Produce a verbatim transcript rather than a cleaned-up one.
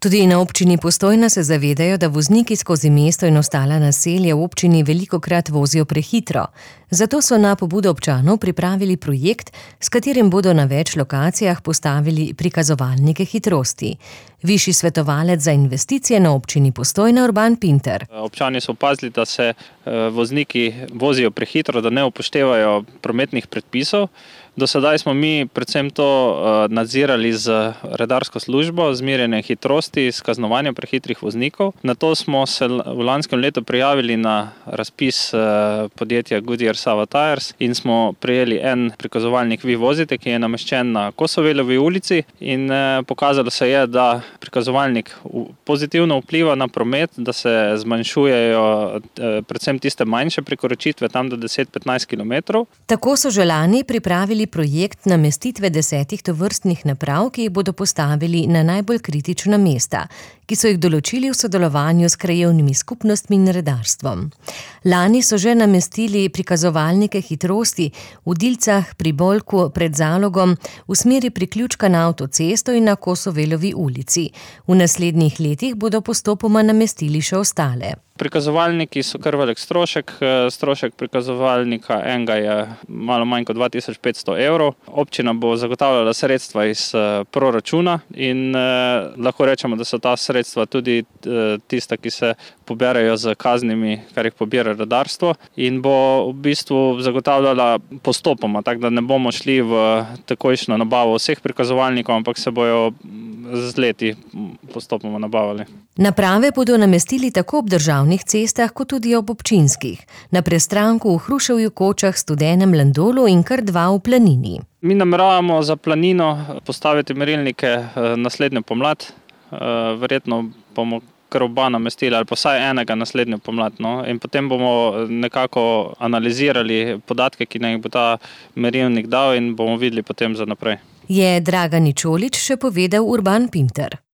Tudi na občini Postojna se zavedajo, da vozniki skozi mesto in ostala naselja v občini velikokrat vozijo prehitro. Zato so na pobudo občanov pripravili projekt, s katerim bodo na več lokacijah postavili prikazovalnike hitrosti. Višji svetovalec za investicije na občini Postojna Urban Pinter. Občani so opazili, da se vozniki vozijo prehitro, da ne upoštevajo prometnih predpisov. Do sedaj smo mi predvsem to nadzirali z redarsko službo, z merjenjem hitrosti, s kaznovanjem prehitrih voznikov. Nato smo se v lanskem letu prijavili na razpis podjetja Goodyear Sava Tires in smo prejeli en prikazovalnik Vi vozite, ki je nameščen na Kosovelovi ulici, in pokazalo se je, da prikazovalnik pozitivno vpliva na promet, da se zmanjšujejo predvsem tiste manjše prekoračitve, tam do deset do petnajst kilometrov. Tako so že lani pripravili projekt namestitve desetih tovrstnih naprav, ki jih bodo postavili na najbolj kritična mesta, ki so jih določili v sodelovanju s krajevnimi skupnostmi in redarstvom. Lani so že namestili prikazovalnike hitrosti v Dilcah pri Bolku pred Zalogom v smeri priključka na avtocesto in na Kosovelovi ulici. V naslednjih letih bodo postopoma namestili še ostale. Prikazovalniki so kar velik strošek. Strošek prikazovalnika enega je malo manj kot dva tisoč petsto evrov. Občina bo zagotavljala sredstva iz proračuna in eh, lahko rečemo, da so ta sredstva tudi eh, tista, ki se poberajo z kaznimi, kar jih pobira redarstvo, in bo v bistvu zagotavljala postopoma, tako da ne bomo šli v takojšnjo nabavo vseh prikazovalnikov, ampak se bojo z leti postopoma nabavili. Naprave bodo namestili tako ob državnih cestah, kot tudi ob občinskih. Na prestranku v Hruševju, Kočah, Studenem, Landolu in kar dva v Planini. Mi nameravamo za Planino postaviti merilnike naslednjo pomlad. Verjetno bomo kar oba namestili, ali pa vsaj enega naslednjo pomlad. No? In potem bomo nekako analizirali podatke, ki nam jih bo ta merilnik dal, in bomo videli potem za naprej. Je Dragani Čolić še povedal Urban Pinter.